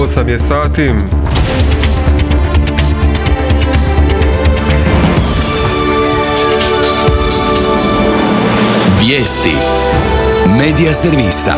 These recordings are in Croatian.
8 je sati. Vijesti Medija servisa.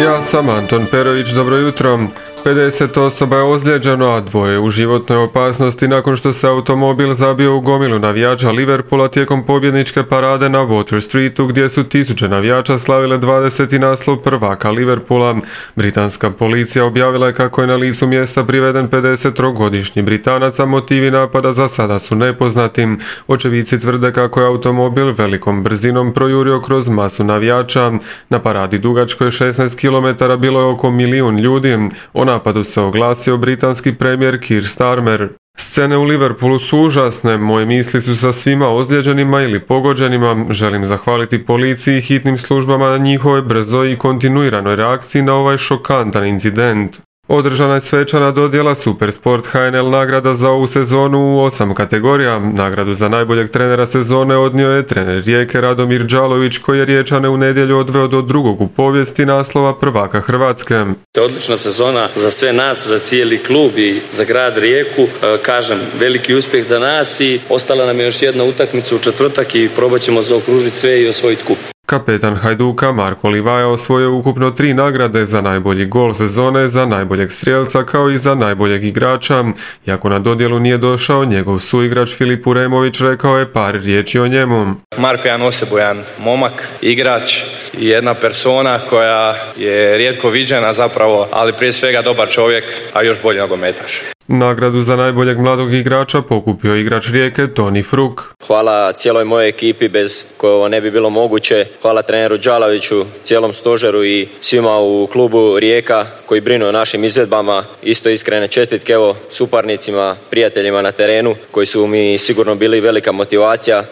Ja sam Anton Perović, dobro jutro. 50 osoba je ozlijeđeno, a 2 u životnoj opasnosti nakon što se automobil zabio u gomilu navijača Liverpoola tijekom pobjedničke parade na Water Streetu, gdje su tisuće navijača slavile 20. naslov prvaka Liverpoola. Britanska policija objavila je kako je na licu mjesta priveden 53-godišnji Britanac, a motivi napada za sada su nepoznati. Očevici tvrde kako je automobil velikom brzinom projurio kroz masu navijača. Na paradi dugačkoj 16 km bilo je oko 1 milijun ljudi. O napadu se oglasio britanski premijer Keir Starmer. Scene u Liverpoolu su užasne, moje misli su sa svima ozlijeđenima ili pogođenima. Želim zahvaliti policiji i hitnim službama na njihovoj brzoj i kontinuiranoj reakciji na ovaj šokantan incident. Održana je svečana dodjela Supersport HNL nagrada za ovu sezonu u 8 kategorija. Nagradu za najboljeg trenera sezone odnio je trener Rijeke Radomir Đalović, koji je Riječane u nedjelju odveo do drugog u povijesti naslova prvaka Hrvatske. Odlična sezona za sve nas, za cijeli klub i za grad Rijeku. Kažem, veliki uspjeh za nas i ostala nam je još jedna utakmica u četvrtak i probat ćemo zaokružiti sve i osvojiti kup. Kapetan Hajduka Marko Livaja osvojio ukupno 3 nagrade za najbolji gol sezone, za najboljeg strijelca kao i za najboljeg igrača. Iako na dodjelu nije došao, njegov suigrač Filip Uremović rekao je par riječi o njemu. Marko je jedan osebujan momak, igrač i jedna persona koja je rijetko viđena zapravo, ali prije svega dobar čovjek, a još bolji nogometaš. Nagradu za najboljeg mladog igrača pokupio igrač Rijeke Toni Fruk. Hvala cijeloj mojoj ekipi bez koje ovo ne bi bilo moguće. Hvala treneru Đalaviću, cijelom stožeru i svima u klubu Rijeka koji brinu o našim izvedbama. Isto iskrene čestitke suparnicima, prijateljima na terenu koji su mi sigurno bili velika motivacija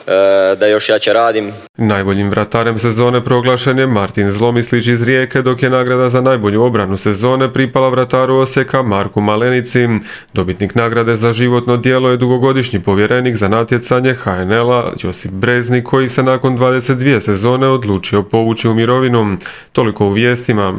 da još jače radim. Najboljim vratarem sezone proglašen je Martin Zlomislić iz Rijeke, dok je nagrada za najbolju obranu sezone pripala vrataru Osijeka Marku Malenici. Dobitnik nagrade za životno djelo je dugogodišnji povjerenik za natjecanje HNL-a Josip Breznik, koji se nakon 22 sezone odlučio povući u mirovinu. Toliko u vijestima.